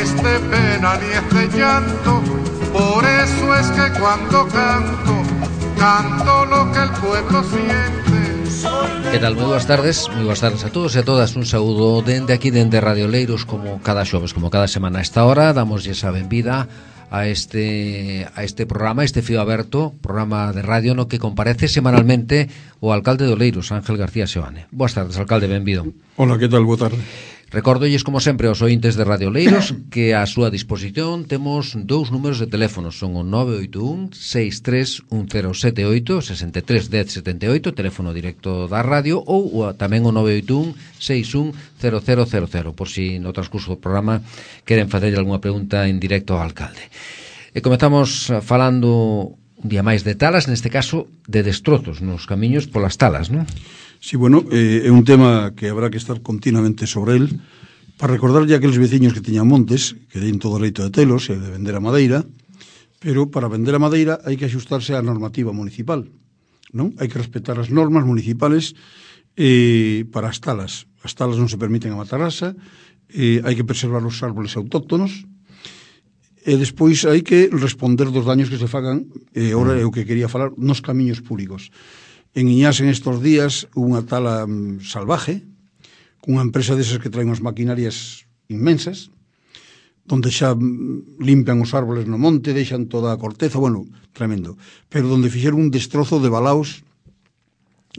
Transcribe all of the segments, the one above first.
es de pena ni es de llanto, por eso es que cuando canto, canto lo que el pueblo siente. Que tal? Moi boas tardes a todos e a todas. Un saúdo dende aquí, dende Radio Leiros, como cada xoves, como cada semana a esta hora. Damoslle a benvida a este programa, este fío aberto, programa de radio no que comparece semanalmente o alcalde de Oleiros, Ángel García Seoane. Boas tardes, alcalde, benvido. Hola, que tal? Boa tarde. Recórdolles, como sempre, aos ointes de Radio Leiros que a súa disposición temos dous números de teléfono. Son o 981-631078, 631078, teléfono directo da radio, ou tamén o 981-610000, por si no transcurso do programa queren facer algunha pregunta en directo ao alcalde. E comezamos falando un día máis de talas, neste caso de destrozos nos camiños polas talas, non? Sí, bueno, é un tema que habrá que estar continuamente sobre él para recordarlle a aqueles veciños que teñan montes, que den todo o dereito de telos e de vender a madeira, pero para vender a madeira hai que axustarse á normativa municipal, non? Hai que respetar as normas municipales para as talas. As talas non se permiten a matarrasa, hai que preservar os árboles autóctonos, e despois hai que responder dos daños que se fagan, e ora é o que quería falar, nos camiños públicos. En Iñás, en estos días, unha tala salvaje, cunha empresa desas que traen as maquinarias inmensas, donde xa limpian os árboles no monte, deixan toda a corteza, bueno, tremendo. Pero donde fixeron un destrozo de balaos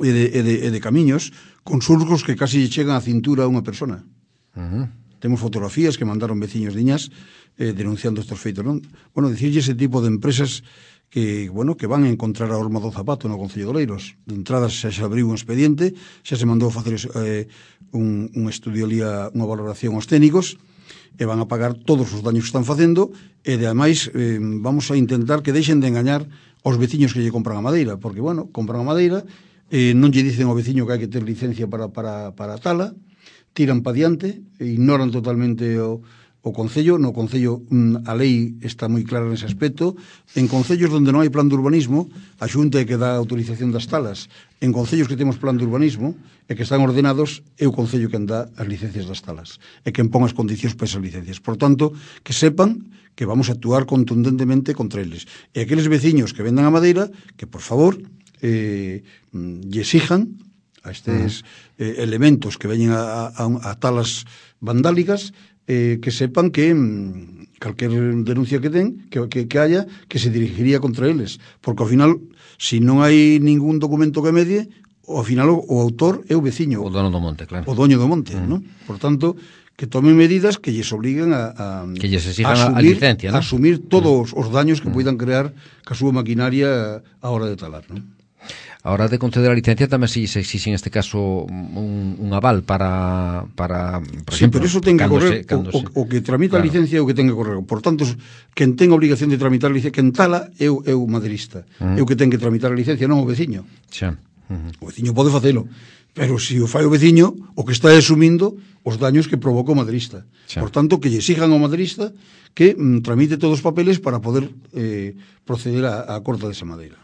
e de camiños, con surcos que casi chegan a cintura a unha persona. Temos fotografías que mandaron veciños de Iñás denunciando estes feitos, non? Bueno, dicirlle ese tipo de empresas que, bueno, que van a encontrar a horma do zapato no Concello de Oleiros. De entrada xa se abriu un expediente, xa se mandou a facer un estudio ali, unha valoración aos técnicos, e van a pagar todos os daños que están facendo, e ademais vamos a intentar que deixen de engañar aos veciños que lle compran a madeira, porque, bueno, compran a madeira, non lle dicen ao veciño que hai que ter licencia para a tala, tiran pa diante, ignoran totalmente o Concello. No Concello a lei está moi clara nese aspecto. En concellos onde non hai plan de urbanismo, a Xunta é que dá autorización das talas. En concellos que temos plan de urbanismo e que están ordenados, é o Concello quen dá as licencias das talas e quen pon as condicións para esas licencias. Por tanto, que sepan que vamos a actuar contundentemente contra eles. E aqueles veciños que vendan a madeira, que por favor lle exijan a estes elementos que veñen a talas vandálicas, que sepan que calquer denuncia que den, que haya, que se dirigiría contra eles, porque ao final, se non hai ningún documento que medie, ao final o autor é o veciño, o dono do monte, claro, o doño do monte, non? Por tanto, que tomen medidas que lles obliguen que lles exijan a licencia, non? A asumir todos os daños que poidan crear ca súa maquinaria a hora de talar, non? A hora de conceder a licencia tamén se exixe en este caso un aval para por sí, exemplo, pero eso ten que correr o que tramita, claro, a licencia é o que ten que correr. Por tanto, quen ten a obligación de tramitar a licencia, quen tala é o maderista, é o que ten que tramitar a licencia, non o veciño. Xa. O veciño pode facelo, pero se o fai o veciño, o que está asumindo os daños que provoca o maderista. Xa. Por tanto, que lle exijan ao maderista que tramite todos os papeles para poder proceder á corta desa madeira.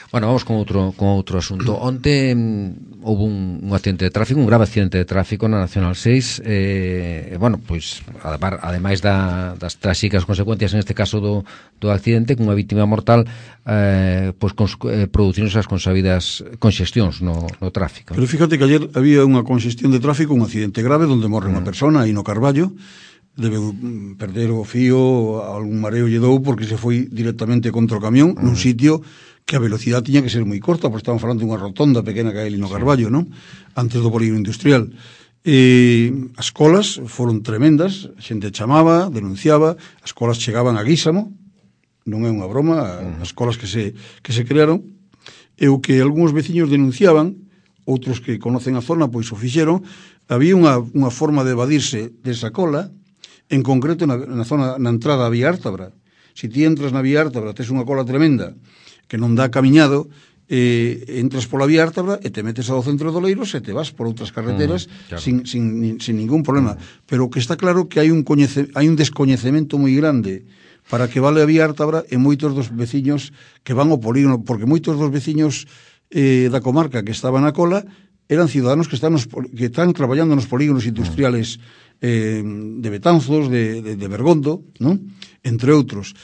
Bueno, vamos con outro asunto. Onte houve un accidente de tráfico, un grave accidente de tráfico na Nacional 6, bueno, pois ademais das tráxicas consecuencias en este caso do accidente, cunha vítima mortal, pois producironse as consabidas conxestións no tráfico. Pero fíjate que ayer había unha conxestión de tráfico, un accidente grave onde morre unha persona aí no Carballo, debe perder o fío, algún mareo lle dou porque se foi directamente contra o camión nun sitio que a velocidade tiña que ser moi corta, porque estaban falando dunha rotonda pequena que hai ali no Carballo, non? Antes do polígono industrial. As colas foron tremendas, a xente chamaba, denunciaba, as colas chegaban a Guísamo, non é unha broma, as colas que se crearon, e o que algúns veciños denunciaban, outros que conocen a zona, pois o fixeron, había unha forma de evadirse desa cola, en concreto na zona, na entrada a Vía Ártabra. Se ti entras na Vía Ártabra, tes unha cola tremenda que non dá camiñado, entras pola Vía Ártabra e te metes ao centro de Oleiros e te vas por outras carreteras claro, sin ningún problema. Pero que está claro que hai un descoñecemento moi grande para que vale a Vía Ártabra e moitos dos veciños que van ao polígono, porque moitos dos veciños da comarca que estaban na cola eran ciudadanos que están traballando nos polígonos industriales de Betanzos, de Bergondo, non? Entre outros.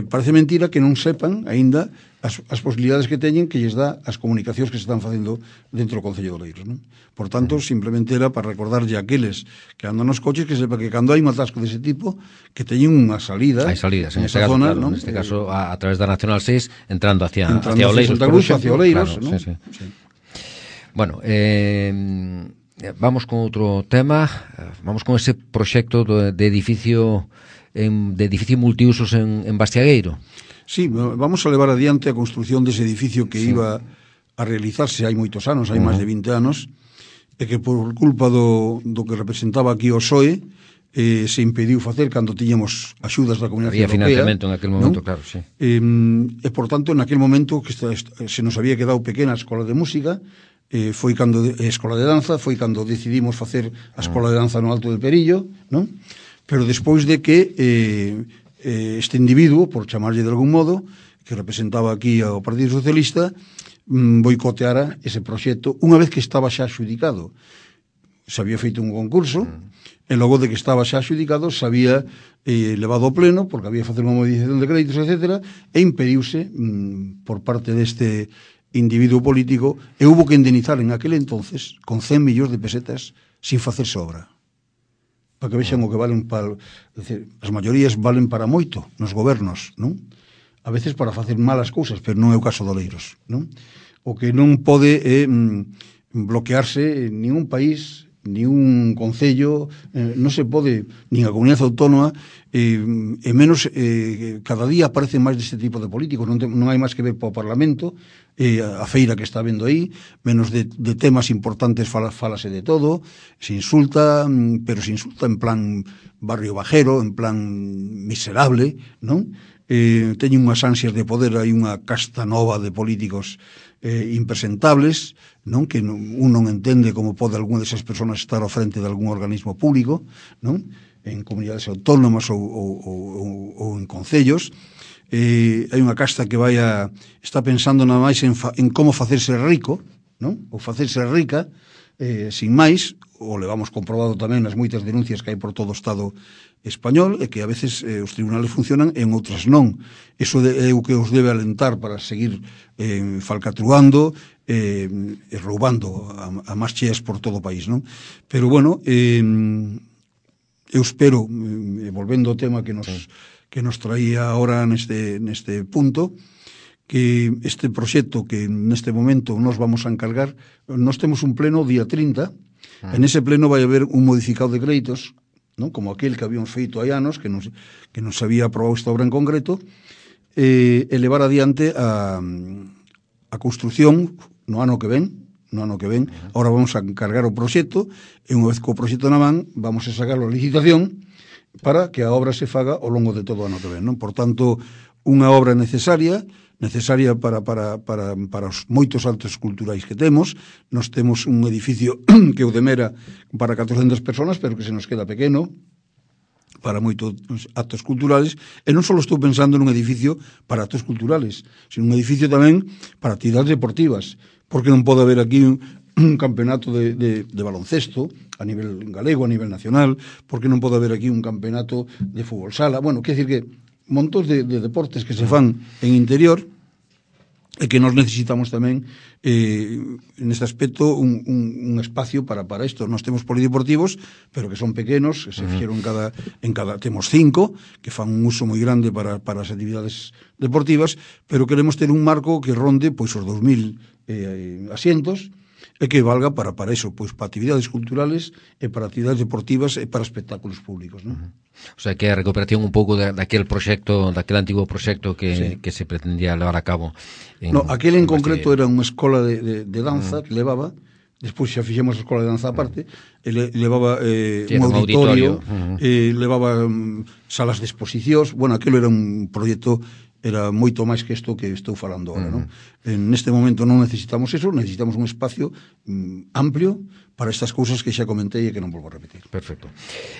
Parece mentira que non sepan aínda as posibilidades que teñen que lles dá as comunicacións que se están facendo dentro do Concello de Oleiros, non? Por tanto, simplemente era para recordarlle a aqueles que andan nos coches que sepa que cando hai un atasco dese tipo que teñen unha salida. Hai salidas, en esa este caso, zona, claro, non? neste caso a través da Nacional 6 entrando hacia Oleiros, Santa Cruz, hacia Oleiros, claro, non? sí. Bueno, vamos con outro tema, vamos con ese proxecto de edificio multiusos en Bastiagueiro. Sí, vamos a levar adiante a construción dese edificio que iba a realizarse hai moitos anos, hai máis de 20 anos, e que por culpa do que representaba aquí o PSOE se impediu facer cando tiñamos axudas da Comunidade Europea. Había financiamento en aquel momento, ¿no? Claro, sí. E por tanto, en aquel momento que se nos había quedado pequena a escola de música, foi cando escola de danza, foi cando decidimos facer a escola de danza no Alto del Perillo, non? Pero despois de que este individuo, por chamarlle de algún modo, que representaba aquí ao Partido Socialista, boicoteara ese proxecto unha vez que estaba xa adxudicado. Se había feito un concurso e logo de que estaba xa adxudicado se había levado ao pleno porque había facer unha modificación de créditos, etc. e impediuse por parte deste individuo político e hubo que indemnizar en aquel entonces con 100 millóns de pesetas sin facerse obra. Para que vexan o que valen para... Decir, as maiorías valen para moito nos gobernos, non? A veces para facer malas cousas, pero non é o caso de Oleiros, non? O que non pode bloquearse en ningún país, ni un concello, non se pode, nin a comunidade autónoma, e menos cada día aparecen máis deste tipo de políticos, non hai máis que ver para o Parlamento, a feira que está vendo aí, menos de temas importantes falase de todo, se insulta, pero se insulta en plan barrio bajero, en plan miserable, non? Teñen unhas ansias de poder, hai unha casta nova de políticos impresentables, non? Que un non entende como pode algunha desas persoas estar ao frente de algún organismo público, non? En comunidades autónomas ou en concellos. Hai unha casta que está pensando nada máis en como facerse rico, non? Ou facerse rica, sin máis, o levamos comprobado tamén nas moitas denuncias que hai por todo o Estado español, e que a veces os tribunales funcionan e en outras non. Iso é o que os debe alentar para seguir falcatruando e roubando a más cheas por todo o país, non? Pero, bueno, eu espero, volvendo ao tema que nos traía ahora neste punto, que este proxecto que neste momento nos vamos a encargar, nos temos un pleno día 30, en ese pleno vai haber un modificado de créditos, non? Como aquel que habíamos feito hai anos, que nos había aprobado esta obra en concreto, e levar adiante a construción no ano que ven. Ahora vamos a encargar o proxecto, e unha vez que o proxecto na man, vamos a sacar a licitación para que a obra se faga ao longo de todo o ano que ven, non? Por tanto, unha obra necesaria para os moitos actos culturais que temos. Nos temos un edificio que o demera para 400 personas, pero que se nos queda pequeno para moitos actos culturales, e non só estou pensando nun edificio para actos culturales, sino un edificio tamén para actividades deportivas, porque non pode haber aquí un campeonato de baloncesto a nivel galego, a nivel nacional, porque non pode haber aquí un campeonato de fútbol sala. Bueno, quer decir que montos de deportes que se fan en interior e que nos necesitamos tamén neste aspecto un espacio para isto. Nós temos polideportivos, pero que son pequenos, que se fixeron en cada temos 5 que fan un uso moi grande para as actividades deportivas, pero queremos ter un marco que ronde pois os 2000 asientos e que valga para iso, pois para actividades culturales e para actividades deportivas e para espectáculos públicos, non? O sea, que a recuperación un pouco daquel proxecto, daquel antigo proxecto que se pretendía levar a cabo. Aquel en concreto era unha escola de danza que levaba, despois xa fixemos a escola de danza aparte, levaba un auditorio, levaba salas de exposicións. Bueno, aquilo era un proxecto, era moito máis que isto que estou falando agora, non? neste momento non necesitamos eso, necesitamos un espacio amplio para estas cousas que xa comentei e que non volvo a repetir. Perfecto.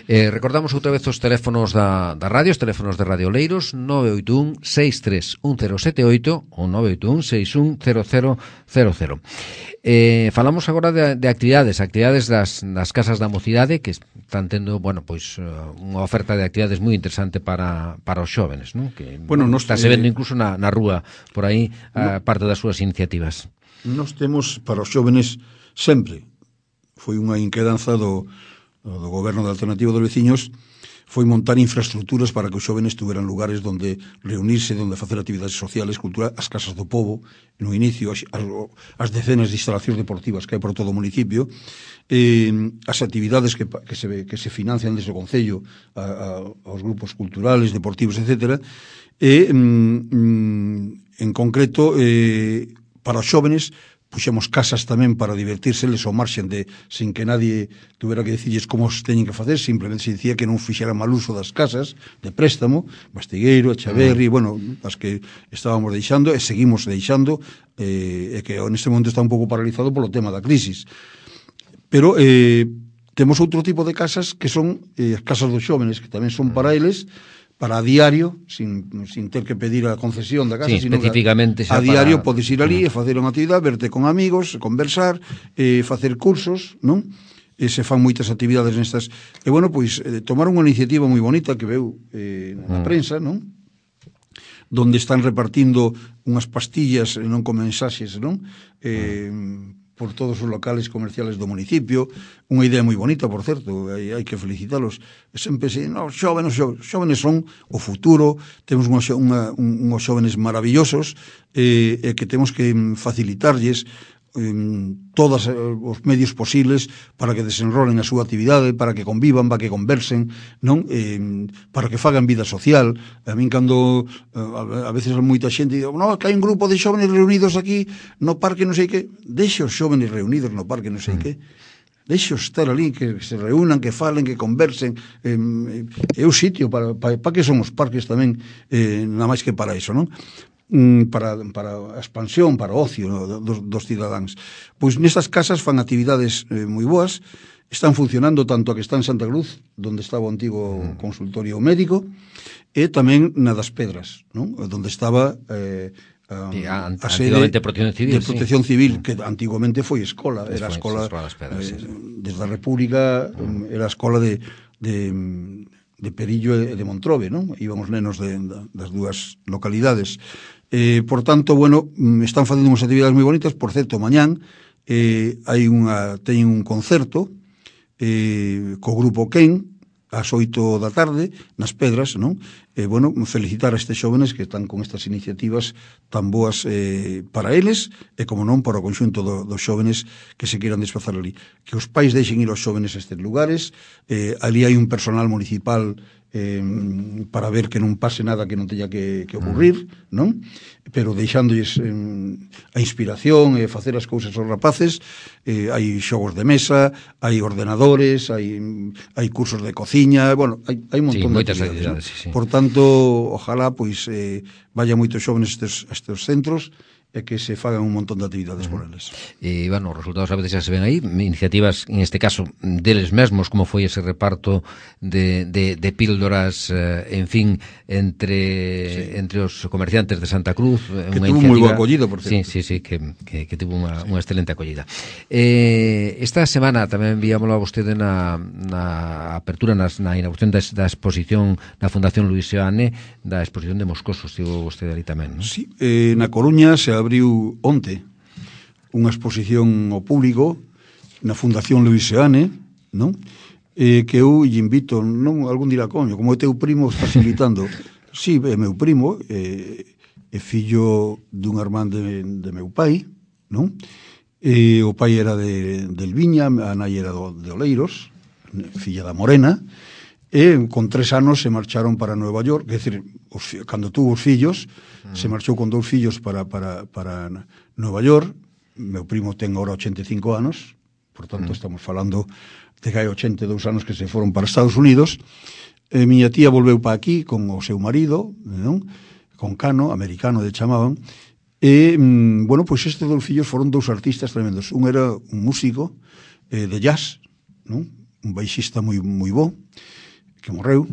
Recordamos outra vez os teléfonos da radio, os teléfonos de Radio Oleiros, 981 631078 ou 981 610000. Falamos agora de actividades das casas da mocidade que están tendo, bueno, pois unha oferta de actividades moi interesante para os xóvenes, non? Que está se vendo incluso na rúa por aí parte das súas iniciativas. Nos temos para os xóvenes sempre, foi unha inquedanza do goberno da Alternativa dos Veciños, foi montar infraestructuras para que os xóvenes tuveran lugares donde reunirse, donde facer actividades sociales, culturales, as casas do povo, no inicio, as decenas de instalacións deportivas que hai por todo o municipio, as actividades que se financian desde o Concello aos grupos culturales, deportivos, etc. E, en concreto, para os xóvenes, puxemos casas tamén para divertírseles ao marxen de, sin que nadie tuvera que dicirles como se teñen que facer, simplemente se dicía que non fixera mal uso das casas de préstamo, Bastigueiro, Echaverri, bueno, as que estábamos deixando e seguimos deixando, e que neste momento está un pouco paralizado polo tema da crisis. Pero temos outro tipo de casas que son as casas dos xóvenes, que tamén son para eles, para a diario, sin ter que pedir a concesión da casa, sino especificamente a diario podes ir ali e facer unha actividade, verte con amigos, conversar, facer cursos, non? E se fan moitas actividades nestas. E, bueno, pois, tomar unha iniciativa moi bonita que veu na prensa, non? Donde están repartindo unhas pastillas, non con mensaxes, non? Por todos os locales comerciales do municipio, unha idea moi bonita, por certo, hai que felicitalos. Sempre se, os xóvenes son o futuro, temos uns xóvenes maravillosos, e que temos que facilitarlles todos os medios posibles para que desenrolen a súa actividade, para que convivan, para que conversen, non? Para que fagan vida social. A min cando a veces moita xente digo, no, que hai un grupo de xóvenes reunidos aquí no parque non sei que, deixe os xóvenes reunidos no parque non sei que, deixe estar ali, que se reúnan, que falen, que conversen, é o sitio para que son os parques tamén, nada máis que para iso, non? Para a expansión, para o ocio dos cidadáns. Pois nestas casas fan actividades moi boas, están funcionando tanto a que está en Santa Cruz, onde estaba o antigo consultorio médico, e tamén na das Pedras, non? Onde estaba a sede de Protección Civil, que antiguamente foi escola, era a escola desde a República, era a escola de Perillo e de Montrobe, non? Íbamos nenos das dúas localidades. Por tanto, bueno, están facendo unhas actividades moi bonitas. Por certo, mañán teñen un concerto co grupo Ken ás 8 da tarde nas Pedras, non? Bueno, felicitar a estes xóvenes que están con estas iniciativas tan boas para eles e, como non, para o conxunto dos xóvenes que se queiran desplazar ali. Que os pais deixen ir aos xóvenes a estes lugares. Ali hai un personal municipal para ver que non pase nada que non teña que ocurrir, non? Pero deixándolles a inspiración e facer as cousas aos rapaces. Hai xogos de mesa, hai ordenadores, hai cursos de cociña, bueno, hai un montón de actividades, ¿no? Por tanto, ojalá pois vaya moitos xóvenes a estes centros e que se fagan un montón de actividades por eles. E, bueno, os resultados a veces xa se ven aí, iniciativas, en este caso, deles mesmos, como foi ese reparto de píldoras, en fin, entre os comerciantes de Santa Cruz. Que tuvo moi boa acollida, por certo. Sí, que tuvo unha excelente acollida. Esta semana tamén enviámoslo a vostede na apertura, na inauguración da exposición na Fundación Luis Seoane, da exposición de Moscoso, estivo vostede ali tamén, non? Sí, na Coruña se abriu onte unha exposición ao público na Fundación Luis Seoane, non? Que eu lle invito, non, algún dirá, coño, como o teu primo estás invitando. Sí, é meu primo, é fillo dun irmán de meu pai, non? O pai era de Elviña, a nai era de Oleiros, filla da Morena, e con 3 anos se marcharon para Nueva York, é dicir, cando tuvo os fillos, se marchou con 2 fillos para Nueva York. Meu primo ten agora 85 anos, por tanto estamos falando de que hai 82 anos que se foron para Estados Unidos. Miña tía volveu para aquí con o seu marido, non? Con Cano, americano de chamaban, E, bueno, pois estes dous fillos foron dous artistas tremendos. Un era un músico de jazz, non? Un baixista moi bo, que morreu,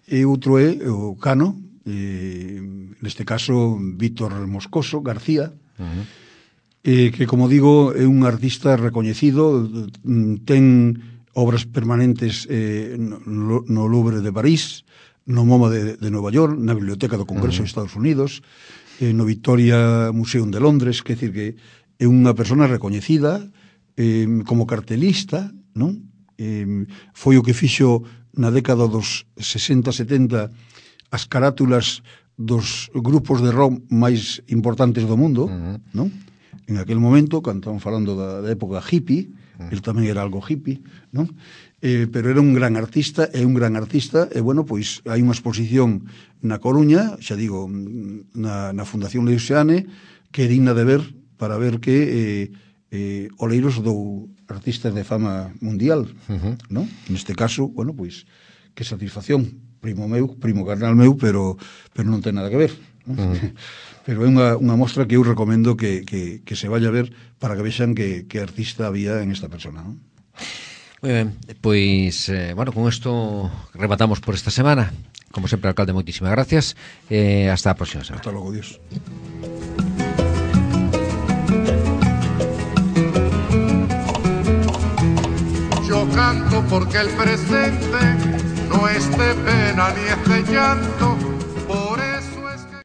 e outro é o Cano, neste caso Víctor Moscoso García, que, como digo, é un artista recoñecido, ten obras permanentes no Louvre de París, no MoMA de Nova York, na Biblioteca do Congreso de Estados Unidos, no Victoria Museum de Londres, que decir que é unha persona recoñecida como cartelista, non? Foi o que fixo na década dos 60-70 as carátulas dos grupos de rock máis importantes do mundo, non? En aquel momento, cando estamos falando da época hippie, el tamén era algo hippie, non? Pero era un gran artista, e bueno, pois hai unha exposición na Coruña, xa digo, na Fundación Leuseane, que é digna de ver, para ver que Oleiros dou artistas de fama mundial, non? Neste caso, bueno, pois, que satisfacción, primo carnal meu, pero non ten nada que ver, non? Pero é unha mostra que eu recomendo que se vaya a ver para que vexan que artista había en esta persona, non? Moi ben, pois, bueno, con isto rematamos por esta semana. Como sempre, alcalde, moitísimas gracias. Hasta a próxima semana. Hasta logo, Dios. Yo canto porque el presente no es de pena ni es de llanto,